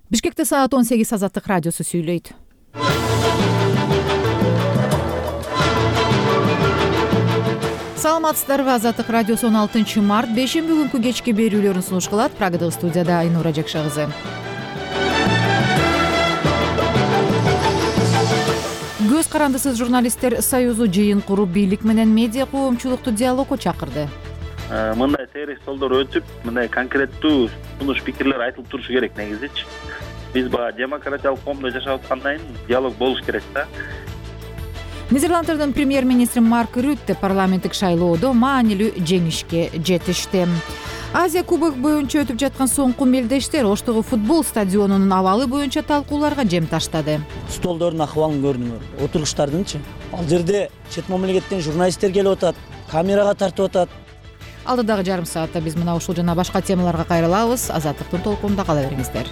Бишкекте саат 18 Азаттык радиосу сүйлөйт. Саламатсыздарбы? Азаттык радиосу 16 март бешемби күнкү кечки берүүлөрүн сунуш кылат. Прагадагы студияда Айнура Жакша кызы. Көз карандысыз журналисттер союзу жыйын куруп, бийлик менен медиа коомчулукту диалогко чакырды. Мындай сейрек столдор өтүп, мындай конкреттүү сунуш пикирлер айтылып турушу керек негизичи. Биз баягы демократиялык коомдо жашап аткандан кийин диалог болуш керек да. Нидерланддын премьер-министри Марк Рютте парламенттик шайлоодо маанилүү жеңишке жетишти. Азия кубок боюнча өтүп жаткан соңку мелдештер Оштогу футбол стадионунун абалы боюнча талкууларга жем таштады. Столдордун акыбалын көрдүңөр, отургучтардынчы? Ал жерде чет мамлекеттен журналисттер келип атат, камерага тартып атат. Алдыдагы жарым саатта биз мына ушул жана башка темаларга кайрылабыз. Азаттыктын толкунунда кала бериңиздер.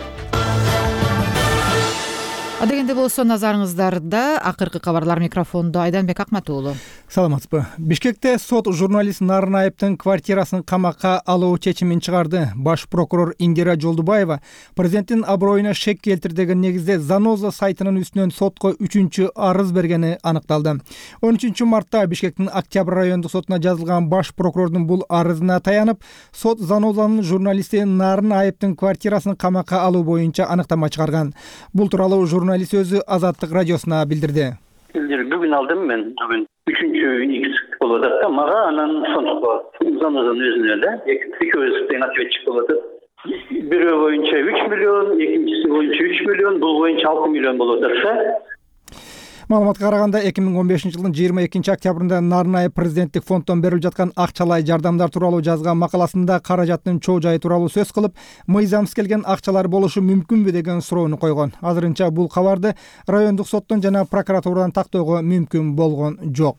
Адегенде болсо назарыңыздарда акыркы кабарлар. Микрофондо Айданбек Акматуулу. Саламатсызбы? Бишкекте сот журналист Нарынаевдин квартирасын камакка алуу чечимин чыгарды. Баш прокурор Индира Жолдубаева президенттин аброюна шек келтир деген негизде Заноза сайтынын үстүнөн сотко 3-чү арыз бергени аныкталды. 13 мартта Бишкектин Октябрь райондук сотуна жазылган баш прокурордун бул арызына таянып, сот Занозанын журналисти Нарынаевдин квартирасын камакка алуу боюнча аныктама чыгарган. Бул тууралуу журналист өзү Азаттык радиосуна билдирди. Бүгүн алдым мен. Бүгүн 3-X болуп атат да, мага анан сонтуп Занозанын өзүнө эле экөөбүз тең ответчик болуп атат. Бирөө боюнча 3 миллион, экинчиси боюнча 3 миллион, бул боюнча 6 миллион болуп атат да. Маалыматка караганда 2015 жылдын 22 октябрында Нарынаев президенттик фонддон берилип жаткан акчалай жардамдар тууралуу жазган макаласында каражаттын чоо жайы тууралуу сөз кылып, мыйзамсыз келген акчалар болушу мүмкүнбү деген суроону койгон. Азырынча бул кабарды райондук соттон жана прокуратурадан тактоого мүмкүн болгон жок.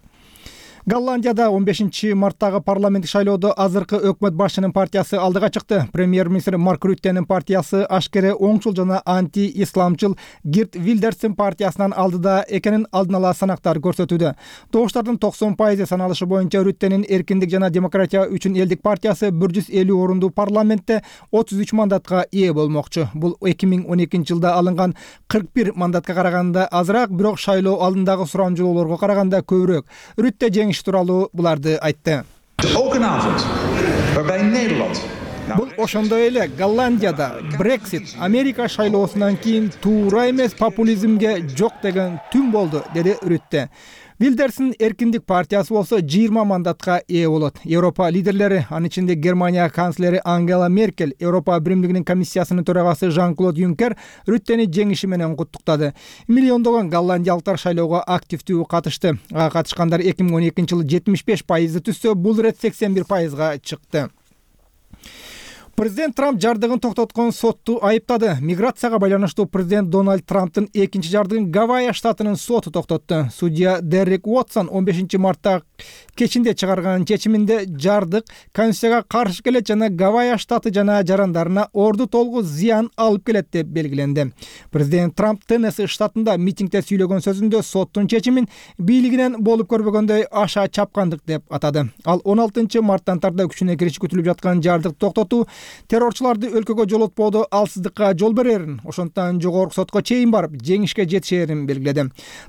Голландияда 15 марттагы парламенттик шайлоодо азыркы өкмөт башчынын партиясы алдыга чыкты. Премьер-министр Марк Рюттенин партиясы ашкере оңчул жана анти-исламчыл Гирт Вилдерстин партиясынан алдыда экенин алдын ала санактар көрсөтүүдө. Добуштардын 90% саналышы боюнча Рюттенин Эркиндик жана демократия үчүн элдик партиясы 150 орундуу парламентте 33 мандатка ээ болмокчу. Бул 2012 жылда алынган 41 мандатка караганда азыраак, бирок шайлоо алдындагы сурамжылоолорго караганда көбүрөөк. Рютте жеңиш тууралуу буларды айтты. Бул ошондой эле Голландияда Brexit Америка шайлоосунан кийин туура эмес популизмге жок деген түн болду, деди Рютте. Вилдерстин Эркиндик партиясы болсо 20 мандатка ээ болот. Европа лидерлери, анын ичинде Германия канцлери Ангела Меркель, Европа Биримдигинин комиссиясынын төрагасы Жан-Клод Юнкер Рюттени жеңиши менен куттуктады. Миллиондогон голландиялыктар шайлоого активдүү катышты. Катышкандар 2012 жылы 75% түзсө, бул ирет 81%га чыкты. Президент Трамп жардыгын токтоткон сотту айыптады. Миграцияга байланыштуу президент Дональд Трамптын экинчи жардыгын Гавайя штатынын соту токтотту. Судья Дерек Уотсон 15 мартта кечинде чыгарган чечиминде жардык Конституцияга каршы келет жана Гавайя штаты жана жарандарына орду толгу зыян алып келет деп белгиленди. Президент Трамп Теннесси штатында митингде сүйлөгөн сөзүндө соттун чечимин бийлигинен болуп көрбөгөндөй аша чапкандык деп атады. Ал 16 марттан тарта күчүнө кириши күтүлүп жаткан жардык токтотуу террорчуларды өлкөгө жолотпоодо алсыздыкка жол берерин, ошондуктан жогорку сотко чейин барып жеңишке жетишерин белгиледи.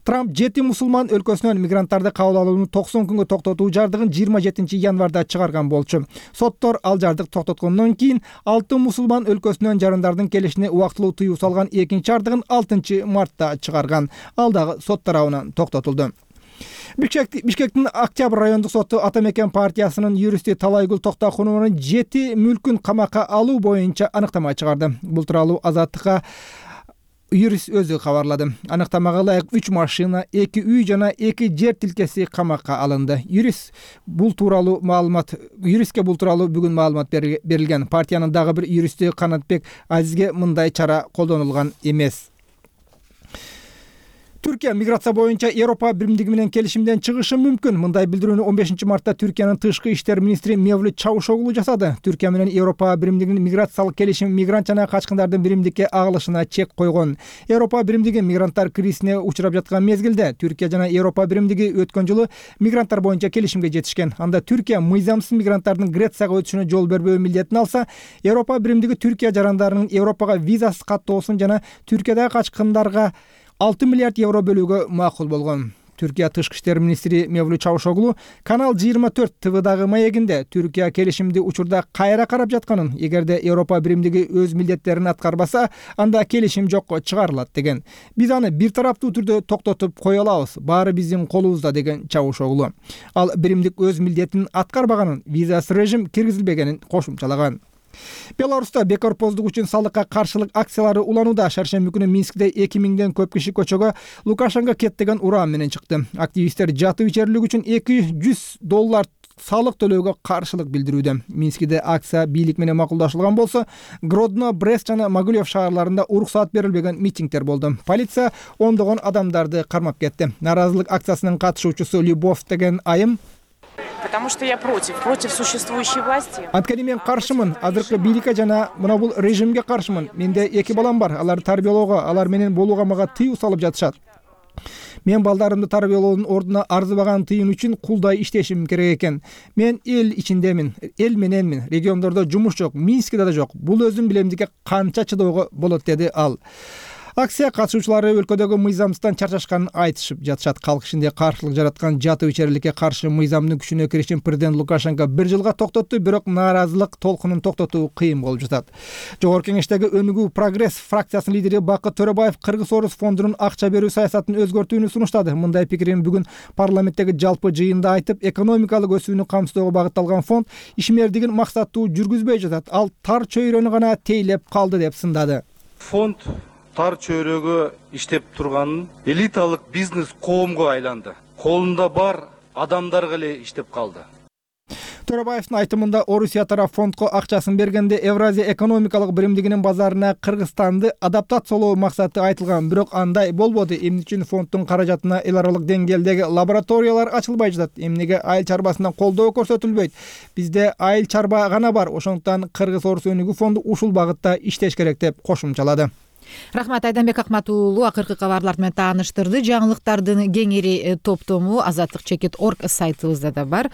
Трамп 7 мусулман өлкөсүнөн мигранттарды кабыл алууну 90 күнгө токтотуу жардыгын 27 январда чыгарган болчу. Соттор ал жардык токтоткондон кийин 6 мусулман өлкөсүнөн жарандардын келишине убактылуу тыюу салган экинчи жардыгын 6 мартта чыгарган. Ал дагы сот тарабынан токтотулду. Бишкектин Октябрь райондук соту Ата Мекен партиясынын юристи Талайгүл Токтокунованын 7 мүлкүн камакка алуу боюнча аныктама чыгарды. Бул тууралуу Азаттыкка юрист өзү кабарлады. Аныктамага ылайык 3 машина, 2 үй жана 2 жер тилкеси камакка алынды. Юристке бул тууралуу бүгүн маалымат берилген. Партиянын дагы бир юристи Канатбек Азизге мындай чара колдонулган эмес. Түркия миграция боюнча Европа биримдиги менен келишимден чыгышы мүмкүн. Мындай билдирүүнү 15 мартта Түркиянын тышкы иштер министри Мевлют Чавушоглу жасады. Түркия менен Европа биримдигинин миграциялык келишим мигрант жана качкындардын биримдикке агылышына чек койгон. Европа биримдиги мигранттар кризисине учурап жаткан мезгилде Түркия жана Европа биримдиги өткөн жылы мигранттар боюнча келишимге жетишкен. Анда Түркия мыйзамсыз мигранттардын Грецияга өтүшүнө жол бербөө милдетин алса, Европа биримдиги Түркия жарандарынын Европага визасыз каттоосун жана Түркиядагы качкындарга 6 миллиард евро бөлүүгө макул болгон. Түркия тышкы иштер министри Мевлют Чавушоглу Канал 24 ТВдагы маегинде Түркия келишимди учурда кайра карап жатканын, эгерде Европа биримдиги өз милдеттерин аткарбаса, анда келишим жокко чыгарылат деген. Биз аны бир тараптуу түрдө токтотуп кое алабыз. Баары биздин колубузда деген Чавушоглу. Ал биримдик өз милдетин аткарбаганын, визасыз режим киргизилбегенин кошумчалаган. Беларуста бекорпоздук үчүн салыкка каршылык акциялары уланууда. Шаршемби күнү Минскте 2000ден көп киши көчөгө Лукашенко кет деген уран менен чыкты. Активисттер жатып ичерлик үчүн $200 салык төлөөгө каршылык билдирүүдө. Минскиде акция бийлик менен макулдашылган болсо, Гродно, Брест жана Могилев шаарларында уруксаат берилбеген митингдер болду. Полиция ондогон адамдарды кармап кетти. Наразылык акциясынын катышуучусу Любовь деген айым: потому что я против существующей власти. Анткени мен каршымын, азыркы бийликке жана мына бул режимге каршымын. Менде 2 балам бар, алар тарбиялоого, алар менен болууга мага тыюу салып жатышат. Мен балдарымды тарбиялоонун ордуна арзыбаган тыйын үчүн кулдай иштешим керек экен. Мен эл ичиндемин, эл мененмин. Региондордо жумуш жок, Минскиде да жок. Бул өзүм билемдикке канча чыдоого болот, деди ал. Акция катышуучулары өлкөдөгү мыйзамсыздан чарчашканын айтышып жатышат. Калк ичинде каршылык жараткан жатып ичерликке каршы мыйзамдын күчүнө киришин президент Лукашенко 1 жылга токтотту, бирок нааразылык толкунун токтотуу кыйын болуп жатат. Жогорку кеңештеги Өнүгүү Прогресс фракциясынын лидери Бакыт Төрөбаев Кыргыз-Орус фондунун акча берүү саясатын өзгөртүүнү сунуштады. Мындай пикирин бүгүн парламенттеги жалпы жыйында айтып, экономикалык өсүүнү камсыздоого багытталган фонд ишмердигин максаттуу жүргүзбөй жатат. Ал тар чөйрөнү гана тейлеп калды деп сындады. Фонд тар чөйрөгө иштеп турганын элиталык бизнес коомго айланды. Колунда бар адамдарга эле иштеп калды. Төрөбаевдин айтымында Орусия тарап фондко акчасын бергенде Евразия экономикалык биримдигинин базарына Кыргызстанды адаптациялоо максаты айтылган, бирок андай болбоду. Эмне үчүн фонддун каражатына эл аралык деңгээлдеги лабораториялар ачылбай жатат? Эмнеге айыл чарбасына колдоо көрсөтүлбөйт? Бизде айыл чарба гана бар, ошондуктан Кыргыз-Орус өнүгүү фонду ушул багытта иштеш керек деп кошумчалады. Рахмат, Айданбек Акматуулу акыркы кабарлар менен тааныштырды. Жаңылыктардын кеңири топтому azatlyk.org сайтыбызда да бар.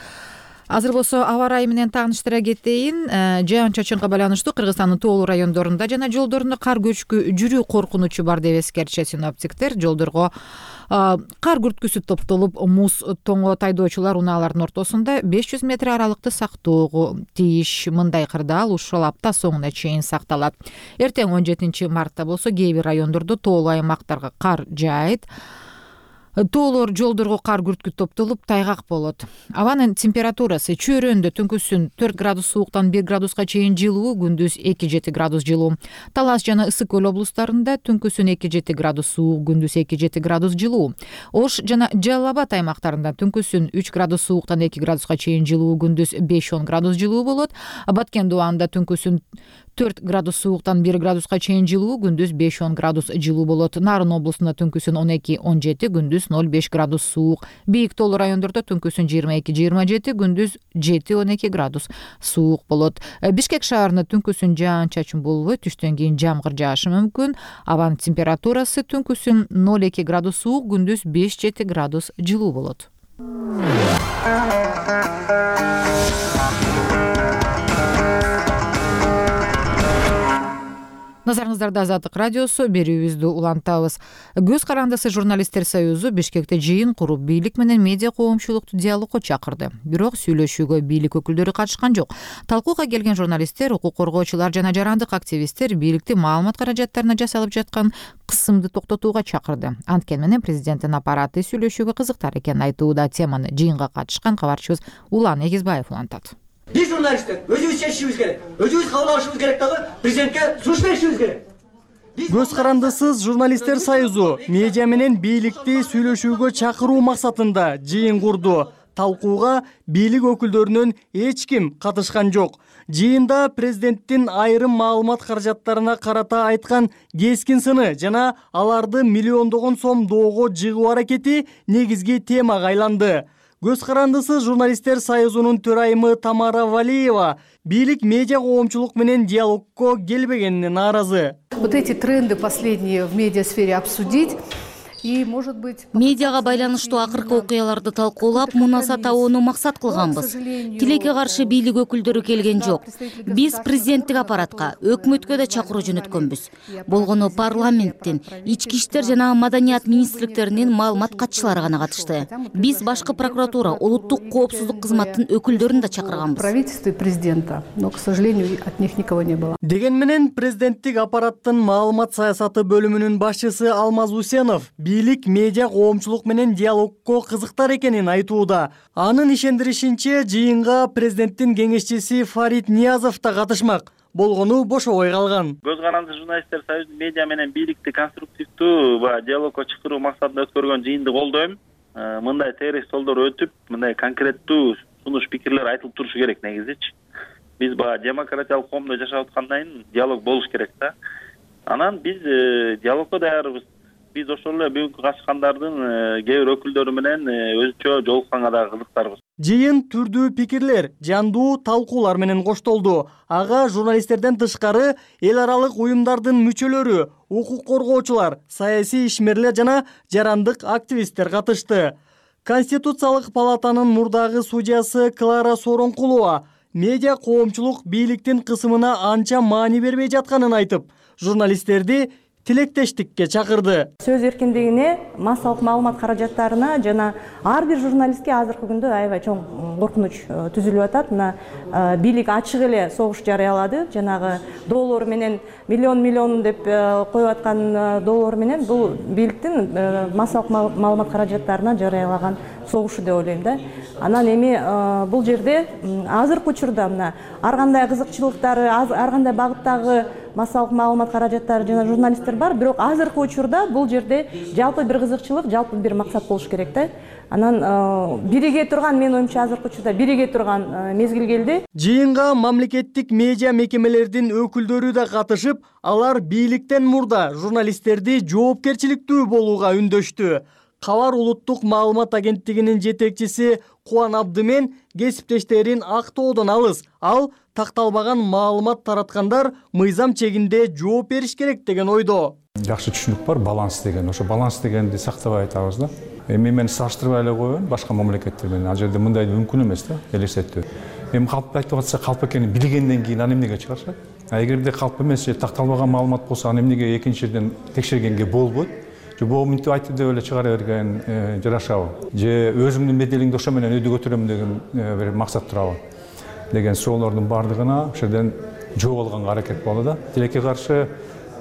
Азыр болсо аба ырайы менен тааныштыра кетейин. Жаан-чачынга байланыштуу Кыргызстандын тоолуу райондорунда жана жолдорунда кар көчкү жүрүү коркунучу бар деп эскертишет синоптиктер. Жолдорго кар күрткүсү топтолуп, муз тоңо тайдоочулар унаалардын ортосунда 500 метр аралыкты сактоого тийиш. Мындай кырдаал ушул апта соңуна чейин сакталат. Эртең 17 мартта болсо кээ бир райондордо тоолуу аймактарга кар жаайт. Тоолор жолдорго кар күрткү топтолуп, тайгак болот. Абанын температурасы чөйрөндө түнкүсүн 4 градус сууктан 1 градуска чейин жылуу, күндүз 2-7 градус жылуу. Талас жана Ысык көл облустарында түнкүсүн 2-7 градус суук, күндүз 2-7 градус жылуу. Ош жана Жалал Абад аймактарында түнкүсүн 3 градус сууктан 2 градуска чейин жылуу, күндүз 5-10 градус жылуу болот. Баткен Дубанда түнкүсүн 4 градус сууктан 1 градуска чейин жылуу, күндүз 5-10 градус жылуу болот. Нарын облусунда түнкүсүн 12-17, күндүз 0-5 градус суук. Бийик тоолуу райондордо түнкүсүн 22-27, күндүз 7-12 градус суук болот. Бишкек шаарында түнкүсүн жаан-чачын болбойт, түштөн кийин жамгыр жаашы мүмкүн. Абанын температурасы түнкүсүн 0-2 градус суук, күндүз 5-7 градус жылуу болот. Назарыңыздарда Азаттык радиосу, берүүбүздү улантабыз. Көз карандысы журналисттер союзу Бишкекте жыйын куруп, бийлик менен медиа коомчулукту диалогко чакырды. Бирок сүйлөшүүгө бийлик өкүлдөрү катышкан жок. Талкууга келген журналисттер, укук коргоочулар жана жарандык активисттер бийликти маалымат каражаттарына жасалып жаткан кысымды токтотууга чакырды. Анткени менен президенттин аппараты сүйлөшүүгө кызыктар экенин айтууда. Теманы жыйынга катышкан кабарчыбыз Улан Эгизбаев улантат. Биз журналисттер өзүбүз чечишибиз керек. Өзүбүз кабыл алышыбыз керек дагы, президентке сунуш беришибиз керек. Көз карандысыз журналисттер союзу медиа менен бийликти сүйлөшүүгө чакыруу максатында жыйын курду. Талкууга бийлик өкүлдөрүнөн эч ким катышкан жок. Жыйында президенттин айрым маалымат каражаттарына карата айткан кескин сыны жана аларды миллиондогон сом доого жыгуу аракети негизги темага айланды. Көз карандысыз журналисттер союзунун төрайымы Тамара Валиева бийлик медиа коомчулук менен диалогко келбегенине нааразы. Вот эти тренды последние в медиасфере обсудить. Медиага байланыштуу акыркы окуяларды талкуулап, мунаса табууну максат кылганбыз. Тилекке каршы бийлик өкүлдөрү келген жок. Биз президенттик аппаратка, өкмөткө да чакыруу жөнөткөнбүз. Болгону парламенттин, ички иштер жана маданият министрликтеринин маалымат катчылары гана катышты. Биз башкы прокуратура, улуттук коопсуздук кызматтын өкүлдөрүн да чакырганбыз. Правительство и президента, но, к сожалению, от них никого не было. Деген менен президенттик аппараттын маалымат саясаты бөлүмүнүн башчысы Алмаз Усенов бийлик медиа коомчулук менен диалогко кызыктар экенин айтууда. Анын ишендиришинче, жыйынга президенттин кеңешчиси Фарид Ниязов да катышмак. Болгону бошобой калган. Көз карандысыз журналисттер союзу медиа менен бийликти конструктивдүү диалогко чакыруу максатында өткөргөн жыйынды колдойм. Мындай терис жолдор өтүп, мындай конкреттүү сунуш пикирлер айтылып турушу керек негизичи. Биз демократиялык коомдо жашап аткандан кийин диалог болуш керек да. Анан биз диалогко даярбыз. Биз ошол эле бүгүнкү катышкандардын кээ бир өкүлдөрү менен өзүнчө жолукканга да кызыктарбыз. Жыйын түрдүү пикирлер, жандуу талкуулар менен коштолду. Ага журналисттерден тышкары эл аралык уюмдардын мүчөлөрү, укук коргоочулар, саясий ишмерлер жана жарандык активисттер катышты. Конституциялык палатанын мурдагы судьясы Клара Соронкулова медиа коомчулук бийликтин кысымына анча маани бербей жатканын айтып, журналисттерди тилектештикке чакырды. Сөз эркиндигине, массалык маалымат каражаттарына жана ар бир журналистке азыркы күндө аябай чоң коркунуч түзүлүп атат. Мына бийлик ачык эле согуш жарыялады. Жанагы доллар менен миллион деп коюп аткан доллар менен бул бийликтин массалык маалымат каражаттарына жарыялаган согушу деп ойлойм да. Анан эми бул жерде азыркы учурда мына ар кандай кызыкчылыктары, ар кандай багыттагы массалык маалымат каражаттары жана журналисттер бар, бирок азыркы учурда бул жерде жалпы бир кызыкчылык, жалпы бир максат болуш керек да. Анан бириге турган, мен оюмча азыркы учурда бириге турган мезгил келди. Жыйынга мамлекеттик медиа мекемелердин өкүлдөрү да катышып, алар бийликтен мурда журналисттерди жоопкерчиликтүү болууга үндөштү. Кабар улуттук маалымат агенттигинин жетекчиси Кубан Абдымен кесиптештерин актоодон алыс. Ал такталбаган маалымат тараткандар мыйзам чегинде жооп бериш керек деген ойдо. Жакшы түшүнүк бар, баланс деген. Ошо баланс дегенди сактабай айтабыз да. Эми мен салыштырбай эле коеюн башка мамлекеттер менен. Ал жерде мындай мүмкүн эмес да, элестетүү. Эми калп айтып атса, калп экенин билгенден кийин аны эмнеге чыгарышат? Эгерде калп эмес же такталбаган маалымат болсо, аны эмнеге экинчи жерден текшергенге болбойт? Же бул мынтип айтып деп эле чыгара берген жарашабы? Же өзүмдүн беделимди ошо менен өйдө көтөрөм деген бир максат турабы? Деген суроолордун бардыгына ошол жерден жооп алганга аракет болду да. Тилекке каршы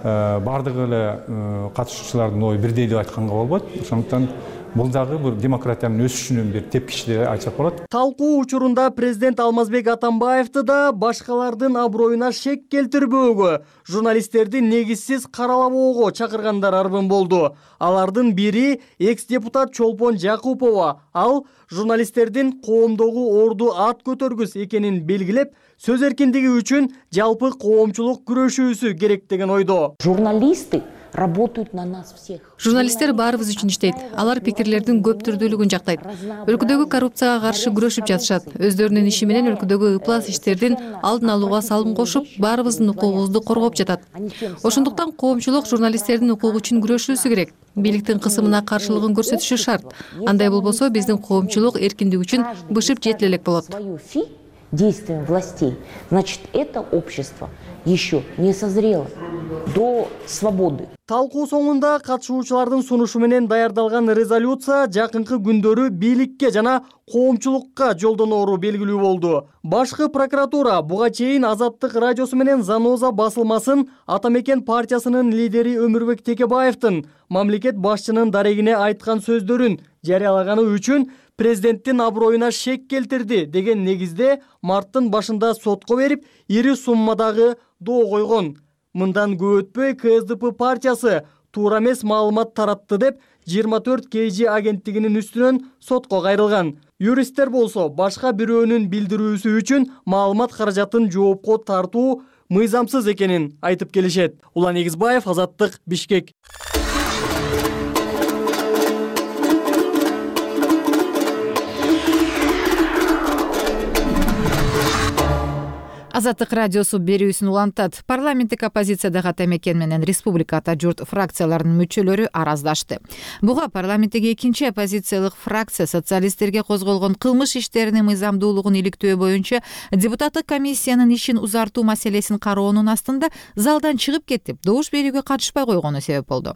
бардыгы эле катышуучулардын ою бирдей деп айтканга болбойт. Ошондуктан бул дагы бир демократиянын өсүшүнүн бир тепкичи деп айтсак болот. Талкуу учурунда президент Алмазбек Атамбаевди да башкалардын аброюна шек келтирбөөгө, журналисттерди негизсиз каралабоого чакыргандар арбын болду. Алардын бири экс-депутат Чолпон Жакупова. Ал журналисттердин коомдогу орду ат көтөргүс экенин белгилеп, сөз эркиндиги үчүн жалпы коомчулук күрөшүүсү керек деген ойдо. Журналисты работают на нас всех. Журналисттер баарыбыз үчүн иштейт. Алар пикирлердин көп түрдүүлүгүн жактайт. Өлкөдөгү коррупцияга каршы күрөшүп жатышат. Өздөрүнүн иши менен өлкөдөгү ыплас иштердин алдын алууга салым кошуп, баарыбыздын укугубузду коргоп жатат. Ошондуктан коомчулук журналисттердин укугу үчүн күрөшүүсү керек. Бийликтин кысымына каршылыгын көрсөтүшү шарт. Андай болбосо биздин коомчулук эркиндик үчүн бышып жетил элек болот. Действием властей, значит, это общество еще не созрело до свободы. Талкуу соңунда катышуучулардын сунушу менен даярдалган резолюция жакынкы күндөрү бийликке жана коомчулукка жолдоноору белгилүү болду. Башкы прокуратура буга чейин Азаттык радиосу менен Заноза басылмасын Атамекен партиясынын лидери Өмүрбек Текебаевдин мамлекет башчынын дарегине айткан сөздөрүн жарыялаганы үчүн президенттин аброюна шек келтирди деген негизде марттын башында сотко берип, ири суммадагы доо койгон. Мындан көп өтпөй КСДП партиясы туура эмес маалымат таратты деп 24 KG агенттигинин үстүнөн сотко кайрылган. Юристтер болсо башка бирөөнүн билдирүүсү үчүн маалымат каражатын жоопко тартуу мыйзамсыз экенин айтып келишет. Улан Эгизбаев, Азаттык, Бишкек. Азаттык радиосу берүүсүн улантат. Парламенттик оппозициядагы Ата Мекен менен Республика Ата Журт фракцияларынын мүчөлөрү араздашты. Буга парламенттеги экинчи оппозициялык фракция социалисттерге козголгон кылмыш иштеринин мыйзамдуулугун иликтөө боюнча депутаттык комиссиянын ишин узартуу маселесин кароонун астында залдан чыгып кетип, добуш берүүгө катышпай койгону себеп болду.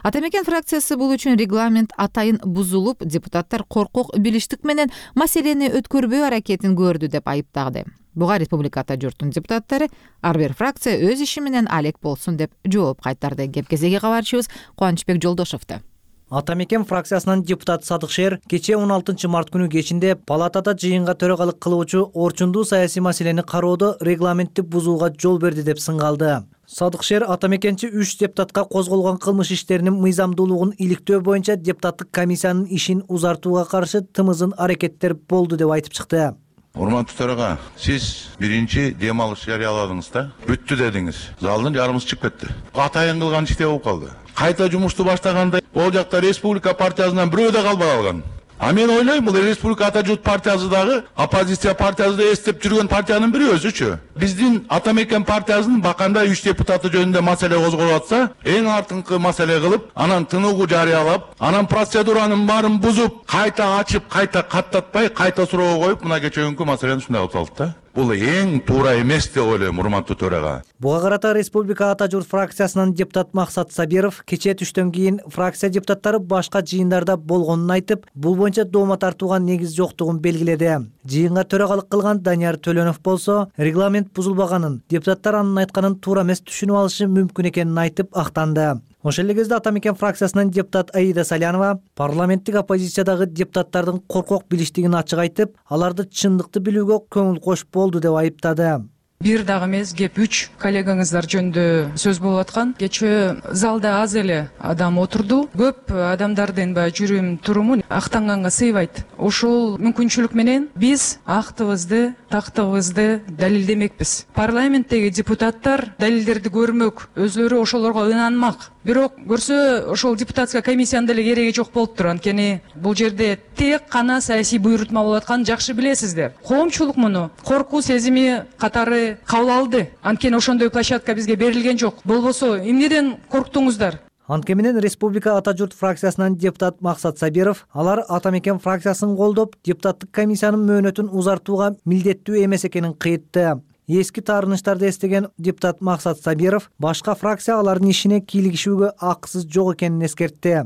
Ата Мекен фракциясы бул үчүн регламент атайын бузулуп, депутаттар коркок билиштик менен маселени өткөрбөө аракетин көрдү деп айыптады. Буга Республика Ата Журттун депутаттары ар бир фракция өз иши менен алек болсун деп жооп кайтарды. Кепкезеги кабарчыбыз Кубанычбек Жолдошовду. Ата Мекен фракциясынын депутаты Садыкшер кече 16 март күнү кечинде палатада жыйынга төрагалык кылуучу орчундуу саясий маселени кароодо регламентти бузууга жол берди деп сынгалды. Садыкшер Ата Мекенчи 3 депутатка козголгон кылмыш иштеринин мыйзамдуулугун иликтөө боюнча депутаттык комиссиянын ишин узартууга каршы тымызын аракеттер болду деп айтып чыкты. Урматтуу төрага, сиз биринчи дем алыш жарыяладыңыз да, бүттү дедиңиз. Залдын жарымысы чыгып кетти. Атайын кылган иште болуп калды. Кайта жумушту баштаганда ол жакта Республика партиясынан бирөө да калбай калган. А мен ойлойм, бул Республика Ата Журт партиясы дагы оппозиция партиясы деп эстеп жүргөн партиянын бири өзүчү. Биздин Ата Мекен партиясынын баканда 3 депутаты жөнүндө маселе козголуп атса, эң артыңкы маселе кылып, анан тыныгуу жарыялап, анан процедуранын баарын бузуп, кайта ачып, кайта каттатпай, кайта суроого коюп, мына кечээкүнкү маселени ушундай кылып салды да. Бул эң туура эмес деп ойлойм, урматтуу төрага. Буга карата Республика Ата Журт фракциясынын депутат Максат Сабиров кечээ түштөн кийин фракция депутаттары башка жыйындарда болгонун айтып, бул боюнча доомат тартууга негиз жоктугун белгиледи. Жыйынга төрагалык кылган Данияр Төлөнов болсо, регламент бузулбаганын, депутаттар анын айтканын туура эмес түшүнүп алышы мүмкүн экенин айтып актанды. Ошол эле кезде Ата Мекен фракциясынын депутат Аида Салянова парламенттик оппозициядагы депутаттардын коркок билиштигин ачык айтып, аларды чындыкты билүүгө көңүл кошуп болду деп айыптады. Бир дагы эмес, кеп 3 коллегаңыздар жөнүндө сөз болуп аткан. Кечээ залда аз эле адам отурду. Көп адамдардын жүрүм туруму актанганга сыйбайт. Ошол мүмкүнчүлүк менен биз актыбызды, тактыгыбызды далилдемекпиз. Парламенттеги депутаттар далилдерди көрмөк, өзлөрү ошолорго ынанмак. Бирок көрсө ошол депутатская комиссиянын деле кереги жок болуптур. Анткени бул жерде тек гана саясий буйрутма болуп атканын жакшы билесиздер. Коомчулук муну коркуу сезими катары кабыл алды. Анткени ошондой площадка бизге берилген жок. Болбосо эмнеден корктуңуздар? Анткени менен Республика Ата Журт фракциясынын депутат Максат Сабиров, алар Ата Мекен фракциясын колдоп, депутаттык комиссиянын мөөнөтүн узартууга милдеттүү эмес экенин кыйтты. Эски таарыныштарды эстеген депутат Максат Сабиров башка фракция алардын ишине кийлигишүүгө акысыз жок экенин эскертти.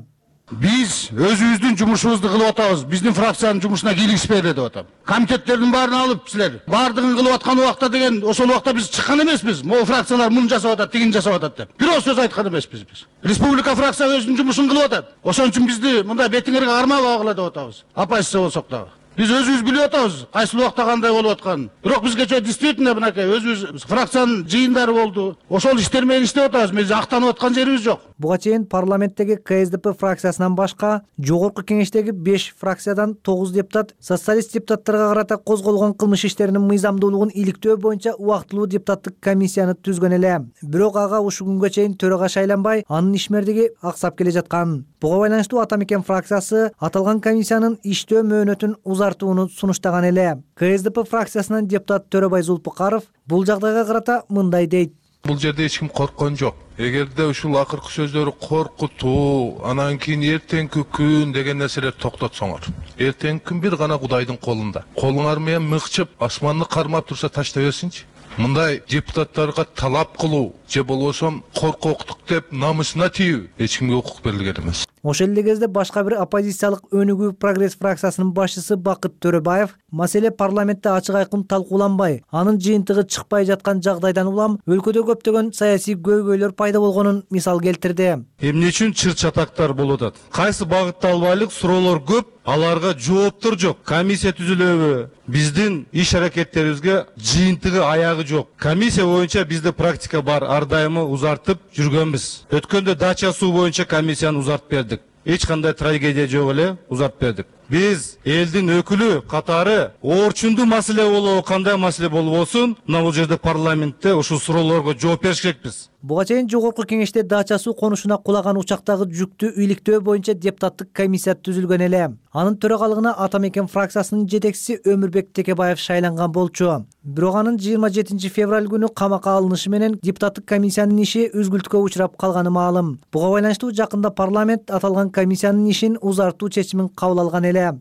Биз өзүбүздүн жумушубузду кылып атабыз. Биздин фракциянын жумушуна кийлигишпейли деп атам. Комитеттердин баарын алып силер баардыгын кылып аткан убакта деген ошол убакта биз чыккан эмеспиз. Могу фракциялар муну жасап атат, тигини жасап атат деп. Бирөө сөз айткан эмеспиз биз. Республика фракция өзүнүн жумушун кылып атат. Ошон үчүн бизди мындай бетиңерге кармабагыла деп атабыз. Оппозиция болсок дагы. Биз өзүбүз билип атабыз, кайсы убакта кандай болуп атканын. Бирок бизгече действительно мынакей өзүбүз фракциянын жыйындары болду. Ошол иштер менен иштеп атабыз. Биз актанып аткан жерибиз жок. Буга чейин парламенттеги КСДП фракциясынан башка жогорку кеңештеги 5 фракциядан 9 депутат социалист депутаттарга карата козголгон кылмыш иштеринин мыйзамдуулугун иликтөө боюнча убактылуу депутаттык комиссияны түзгөн эле. Бирок ага ушул күнгө чейин төрага шайланбай, анын ишмердиги аксап келе жаткан. Буга байланыштуу Ата Мекен фракциясы аталган комиссиянын иштөө мөөнөтүн узартууну сунуштаган эле. КСДП фракциясынын депутат Төрөбай Зулпукаров бул жагдайга карата мындай дейт. Бул жерде эч ким корккон жок. Эгерде ушул акыркы сөздөрү коркутуу, анан кийин эртеңки күн деген нерселер токтотсоңор. Эртеңки күн бир гана Кудайдын колунда. Колуңар менен мыкчып, асманны кармап турса таштай берсинчи. Мындай депутаттарга талап кылуу, же болбосо коркоктук деп намысына тийүү эч кимге укук берилген эмес. Ошол эле кезде башка бир оппозициялык Өнүгүү прогресс фракциясынын башчысы Бакыт Төрөбаев маселе парламентте ачык айкын талкууланбай, анын жыйынтыгы чыкпай жаткан жагдайдан улам өлкөдө көптөгөн саясий көйгөйлөр пайда болгонун мисал келтирди. Эмне үчүн чыр-чатактар болуп атат? Кайсы багытталбайлык суроолор көп, аларга жооптор жок. Комиссия түзүлөбү? Биздин иш аракеттерибизге жыйынтыгы аягы жок. Комиссия боюнча бизде практика бар, ар дайымы узартып жүргөнбүз. Өткөндө дача суу боюнча комиссияны узартып бердик. Эч кандай трагедия жок эле узартып бердик. Биз элдин өкүлү катары орчундуу маселе болобу, кандай маселе болбосун, мына бул жерде парламентте ушул суроолорго жооп бериш керекпиз. Буга чейин жогорку кеңеште дача суу конушуна кулаган учактагы жүктү үйликтөө боюнча депутаттык комиссия түзүлгөн эле. Анын төрагалыгына Ата Мекен фракциясынын жетекчиси Өмүрбек Текебаев шайланган болчу. Бирок анын 27 февраль күнү камакка алынышы менен депутаттык комиссиянын иши үзгүлтүккө учурап калганы маалым. Буга байланыштуу жакында парламент аталган комиссиянын ишин узартуу чечимин кабыл алган эле.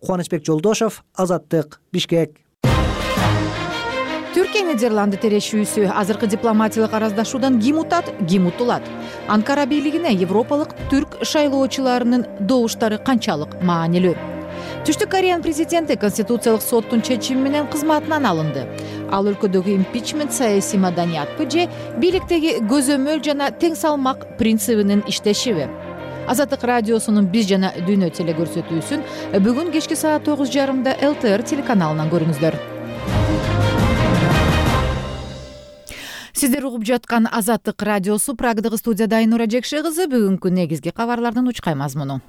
Кубанычбек Жолдошов, Азаттык, Бишкек. Түркия Нидерланды терешүүсү азыркы дипломатиялык араздашуудан ким утат, ким утулат? Анкара бийлигине европалык түрк шайлоочуларынын добуштары канчалык маанилүү? Түштүк Кореянын президенти Конституциялык соттун чечими менен кызматынан алынды. Ал өлкөдөгү импичмент саясий маданиятпы же бийликтеги көзөмөл жана тең салмак принцибинин иштешиби? Азаттык радиосунун Биз жана Дүйнө телекөрсөтүүсүн бүгүн кечки саат 9:30 ЛТР телеканалынан көрүңүздөр. Сиздер угуп жаткан Азаттык радиосу, Прагдагы студияда Айнура Жекше кызы. Бүгүнкү негизги кабарлардын учкай мазмуну.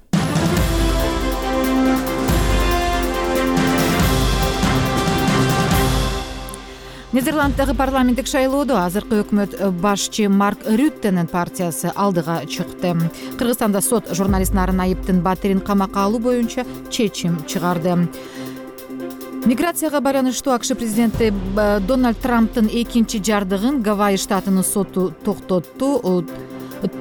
Нидерланддагы парламенттик шайлоодо азыркы өкмөт башчы Марк Рюттенин партиясы алдыга чыкты. Кыргызстанда сот журналист Нарын Айыптын Батирин камакка алуу боюнча чечим чыгарды. Миграцияга байланыштуу АКШ президенти Дональд Трамптын экинчи жардыгын Гавайи штатынын соту токтотту.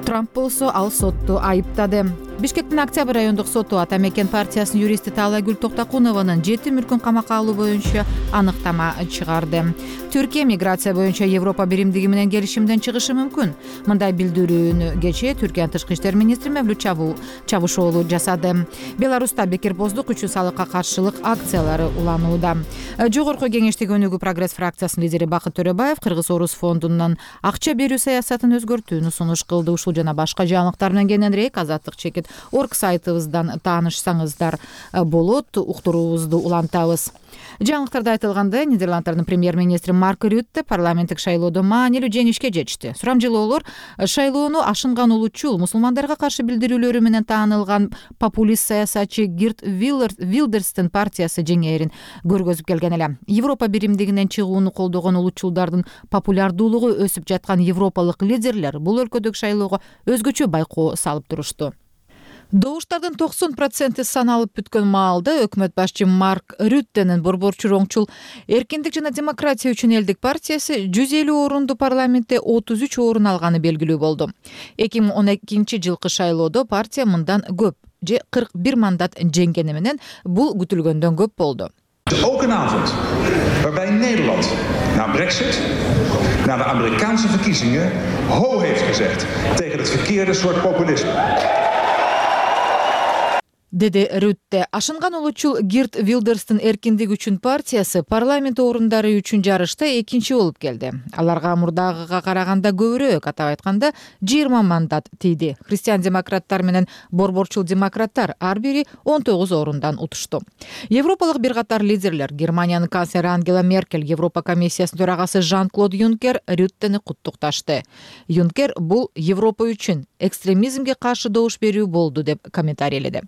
Трамп болсо ал сотту айыптады. Бишкектин Октябрь райондук соту Ата Мекен партиясынын юристи Таалайгүл Токтокунованын 7 мүлкүн камакка алуу боюнча аныктама чыгарды. Түркия миграция боюнча Европа биримдиги менен келишимден чыгышы мүмкүн. Мындай билдирүүнү кечээ Түркиянын тышкы иштер министри Мевлют Чавушоğlu жасады. Беларуста бекербоздук үчүн салыкка каршылык акциялары уланууда. Жогорку кеңештеги Өнүгүү прогресс фракциясынын лидери Бакыт Төрөбаев Кыргыз-Орус фондунан акча берүү саясатын өзгөртүүнү сунуш кылды. Ушул жана башка жаңылыктар менен кененирээк Азаттык чекит орг сайтыбыздан таанышсаңыздар болот. Уктуруубузду улантабыз. Жаңылыктарда айтылгандай, Нидерланддардын премьер-министри Марк Рютте парламенттик шайлоодо маанилүү жеңишке жетишти. Сурамжылоолор шайлоону ашынган улутчул мусулмандарга каршы билдирүүлөрү менен таанылган популист саясатчы Гирт Вилдерстин партиясы жеңээрин көргөзүп келген эле. Европа биримдигинен чыгууну колдогон улутчулдардын популярдуулугу өсүп жаткан европалык лидерлер бул өлкөдөгү шайлоого өзгөчө байкоо салып турушту. Добуштардын 90% саналып бүткөн маалда өкмөт башчы Марк Рюттенин борборчу оңчул Эркиндик жана демократия үчүн элдик партиясы 150 орунду парламентте 33 орун алганы белгилүү болду. 2012 жылкы шайлоодо партия мындан көп же 41 мандат жеңгени менен бул күтүлгөндөн көп болду. Ook een avond waarbij Nederland na Brexit, na de Amerikaanse verkiezingen, ho heeft gezegd tegen het verkeerde soort populisme. Деди Рютте. Ашынган улутчул Гирт Вилдерстин Эркиндик үчүн партиясы парламент орундары үчүн жарышта экинчи болуп келди. Аларга мурдагыга караганда көбүрөөк, атап айтканда 20 мандат тийди. Христиан-демократтар менен борборчул демократтар ар бири 19 орундан утушту. Европалык бир катар лидерлер, Германиянын канцлери Ангела Меркель, Европа комиссиясынын төрагасы Жан-Клод Юнкер Рюттени куттукташты. Юнкер бул Европа үчүн экстремизмге каршы добуш берүү болду деп комментарийледи.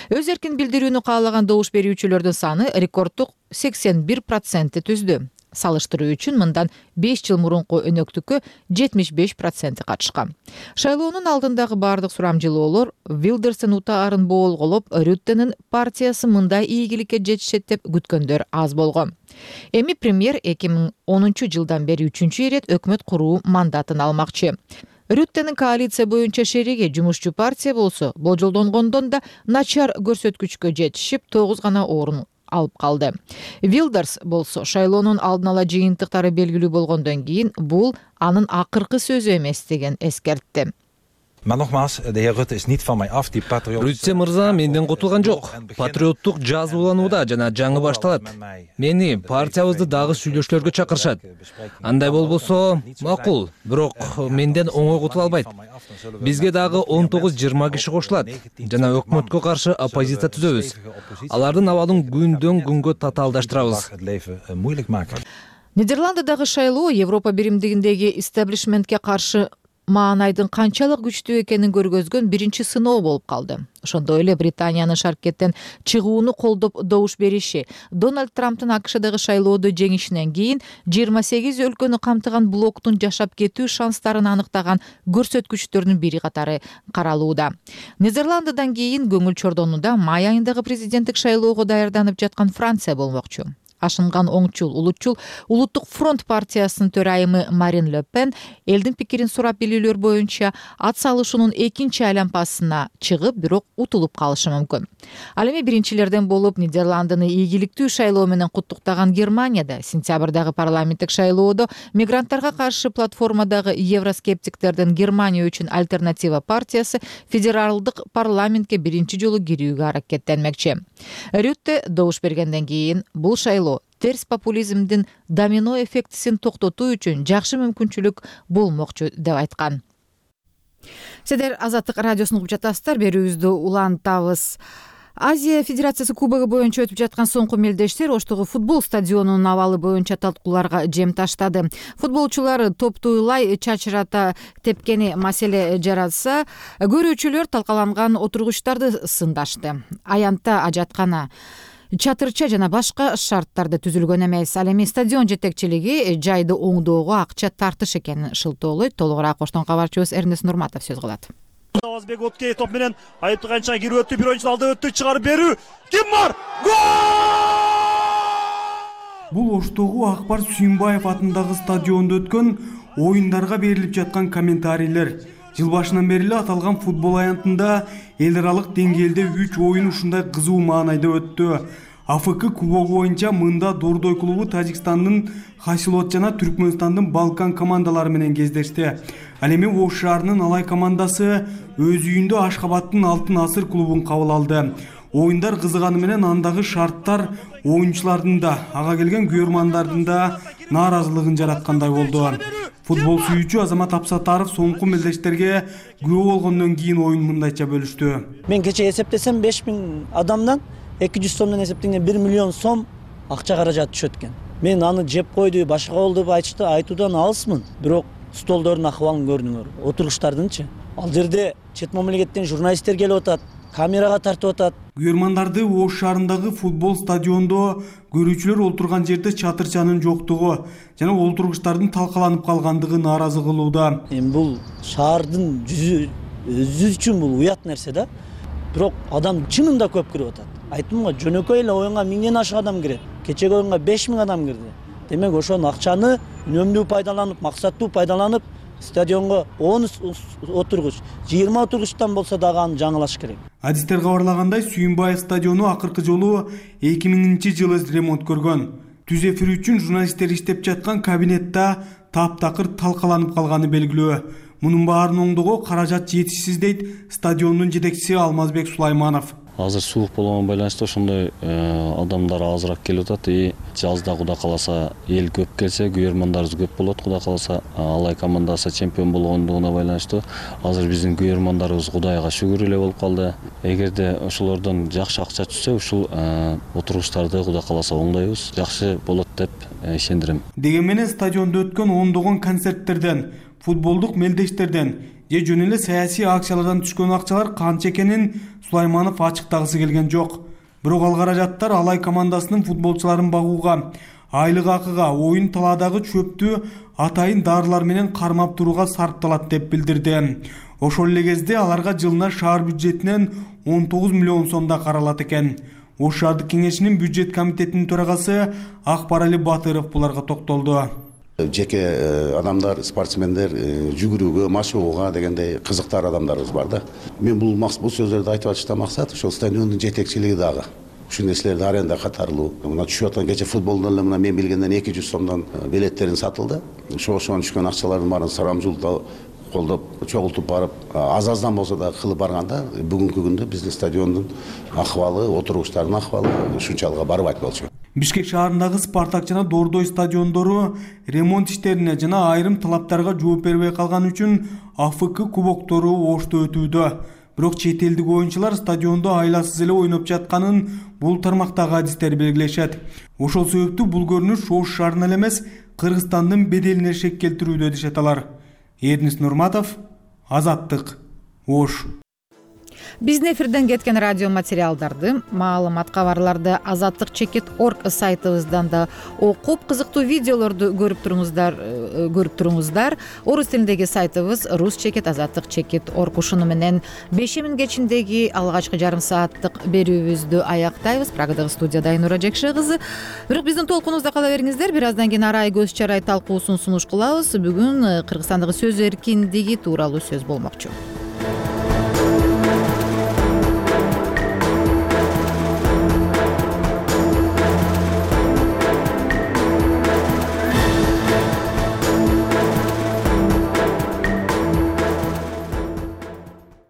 Өз эркин билдирүүнү каалаган добуш берүүчүлөрдүн саны рекорддук 81% түздү. Салыштыруу үчүн мындан 5 жыл мурунку өнөктүккө 75% катышкан. Шайлоонун алдындагы бардык сурамжылоолор Вилдерстин утаарын боолголоп, Рюттенин партиясы мындай ийгиликке жетишет деп күткөндөр аз болгон. Эми премьер 2010 жылдан бери 3-чү ирет өкмөт куруу мандатын алмакчы. Рюттенин коалиция боюнча шериги жумушчу партия болсо, болжолдонгондон да начар көрсөткүчкө жетишип 9 гана орун алып калды. Вилдерс болсо шайлоонун алдын ала жыйынтыктары белгилүү болгондон кийин бул анын акыркы сөзү эмес деген эскертти. Maar nogmaals, de heer Rutte is niet van mij af. Die patriot... Рютте мырза менден кутулган жок. Патриоттук жазууланууда жана жаңы башталат. Мени партиябызды дагы сүйлөшүүлөргө чакырышат. Андай болбосо макул, бирок менден оңой кутула албайт. Бизге дагы 19-20 киши кошулат жана өкмөткө каршы оппозиция түзөбүз. Алардын абалын күндөн күнгө татаалдаштырабыз. Нидерланддагы шайлоо Европа биримдигиндеги истеблишментке каршы маанайдын канчалык күчтүү экенин көргөзгөн биринчи сыноо болуп калды. Ошондой эле Британиянын шаркеттен чыгууну колдоп добуш бериши Дональд Трамптын АКШдагы шайлоодо жеңишинен кийин 28 өлкөнү камтыган блоктун жашап кетүү шанстарын аныктаган көрсөткүчтөрдүн бири катары каралууда. Нидерландыдан кийин көңүл чордонууда май айындагы президенттик шайлоого даярданып жаткан Франция болмокчу. Ашынган оңчул улутчул Улуттук фронт партиясынын төрайымы Марин Ле Пен элдин пикирин сурап билүүлөр боюнча ат салышуунун экинчи айланпасына чыгып, бирок утулуп калышы мүмкүн. Ал эми биринчилерден болуп Нидерландыны ийгиликтүү шайлоо менен куттуктаган Германияда сентябрдагы парламенттик шайлоодо мигранттарга каршы платформадагы евроскептиктердин Германия үчүн альтернатива партиясы федералдык парламентке биринчи жолу кирүүгө аракеттенмекчи. Рютте добуш бергенден кийин бул шайлоо терс популизмдин домино эффектисин токтотуу үчүн жакшы мүмкүнчүлүк болмокчу деп айткан. Сиздер Азаттык радиосун угуп жатасыздар. Берүүбүздү улантабыз. Азия Федерациясы кубогу боюнча өтүп жаткан соңку мелдештер Оштогу футбол стадионунун абалы боюнча талкууларга жем таштады. Футболчулар топтуйлай чачырата тепкени маселе жаратса, көрүүчүлөр талкаланган отургучтарды сындашты. Аянтта ажаткана, чатырча жана башка шарттарды түзүлгөн эмес. Ал эми стадион жетекчилиги жайды оңдоого акча тартыш экенин шылтоолойт. Толугураак Оштон кабарчыбыз Эрнест Нурматов сөз кылат. Назарбек Откей топ менен айыптык канча кирип өттү, бир ойунчу алды өттү, чыгарып берүү. Ким бар? Гол! Бул Оштогу Акбар Сүйүнбаев атындагы стадиондо өткөн оюндарга берилип жаткан комментарийлер. Жыл башынан бери эле аталган футбол аянтында эл аралык деңгээлде 3 оюн ушундай кызуу маанайда өттү. АФК кубогу боюнча мында Дордой клубу Тажикстандын Хасилот жана Түркмөнстандын Балкан командалары менен кездешти. Ал эми Ош шаарынын Алай командасы өз үйүндө Ашхабадтын Алтын Асыр клубун кабыл алды. Оюндар кызыганы менен андагы шарттар оюнчулардын да, ага келген күйөрмандардын да нааразылыгын жараткандай болду. Футбол сүйүүчү Азамат Апсатаров соңку мелдештерге күбө болгондон кийин оюн мындайча бөлүштү. Мен кече эсептесем 5000 адамдан 200 сомдон эсептегенде 1 миллион сом акча каражат түшөт экен. Мен аны жеп койду, башка болду деп айтышты, айтуудан алысмын. Бирок столдордун акыбалын көрдүңөр, отургучтардынчы. Ал жерде чет мамлекеттен журналисттер келип атат, камерага тартып атат. Күйөрмандарды Ош шаарындагы футбол стадиондо көрүүчүлөр олтурган жерде чатырчанын жоктугу жана олтургучтардын талкаланып калгандыгы нааразы кылууда. Эми бул шаардын жүзү үчүн бул уят нерсе да. Бирок адам чынында көп кирип атат. Айттым го, жөнөкөй эле оюнга 1000ден ашык адам кирет. Кечеги оюнга 5000 адам кирди. Демек ошол акчаны үнөмдүү пайдаланып, максаттуу пайдаланып, стадионго 10 отургуч, 20 отургучтан болсо дагы аны жаңылаш керек. Адистер кабарлагандай, Сүйүнбаев стадиону акыркы жолу 2000-жылы ремонт көргөн. Түз эфир үчүн журналисттер иштеп жаткан кабинетте таптакыр талкаланып калганы белгилүү. Мунун баарын оңдоого каражат жетишсиз дейт стадиондун жетекчиси Алмазбек Сулайманов. Азыр суук болгон байланыштуу ошондой адамдар азыраак келип атат. Жазда Кудай кааласа эл көп келсе, күйөрмандарыбыз көп болот. Кудай кааласа Алай командасы чемпион болгондугуна байланыштуу азыр биздин күйөрмандарыбыз Кудайга шүгүр эле болуп калды. Эгерде ошолордон жакшы акча түшсө, ушул отургучтарды Кудай кааласа оңдойбуз. Жакшы болот деп ишендирем. Деген менен стадиондо өткөн ондогон концерттерден, футболдук мелдештерден же жөн эле саясий акциялардан түшкөн акчалар канча экенин Сулайманов ачыктагысы келген жок. Бирок ал каражаттар Алай командасынын футболчуларын багууга, айлык акыга, оюн талаадагы чөптү атайын дарылар менен кармап турууга сарпталат деп билдирди. Ошол эле кезде аларга жылына шаар бюджетинен 19 миллион сомда каралат экен. Ош шаардык кеңешинин бюджет комитетинин төрагасы Акбарали Батыров буларга токтолду. Жеке адамдар, спортсмендер жүгүрүүгө, машыгууга дегендей кызыктар адамдарыбыз бар да. Мен бул сөздөрдү айтып атышта максат ошол стадиондун жетекчилиги дагы ушул нерселерди аренда катарлуу. Мына түшүп аткан кече футболдон эле мына мен билгенден 200 сомдон билеттерин сатылды. Ошон түшкөн акчалардын баарын Сарамжулда колдоп, чогултуп барып, аз-аздан болсо да кылып барганда бүгүнкү күндө биздин стадиондун акыбалы, отургучтардын акыбалы ушунчалык барбайт болчу. Бишкек шаарындагы Спартак жана Дордой стадиондору ремонт иштерине жана айрым талаптарга жооп бербей калган үчүн АФК кубоктору Ошто өтүүдө. Бирок чет элдик оюнчулар стадиондо айласыз эле ойноп жатканын бул тармактагы адистер белгилешет. Ошол себептүү бул көрүнүш Ош шаарына эле эмес, Кыргызстандын беделине шек келтирүүдө дешет алар. Эрнис Нурматов, Азаттык, Ош. Биздин эфирден кеткен радио материалдарды, маалымат кабарларды azattik.org сайтыбыздан да окуп, кызыктуу видеолорду көрүп туруңуздар. Орус тилиндеги сайтыбыз rusчекет.azattik.org. Ушуну менен 5:00 кечиндеги алгачкы жарым сааттык берүүбүздү аяктайбыз. Прагадагы студияда Айнура Жекше кызы. Бирок биздин толкунубузда кала бериңиздер. Бир аздан кийин арай көз чарай талкуусун сунуш кылабыз. Бүгүн Кыргызстандагы сөз эркиндиги тууралуу сөз болмокчу.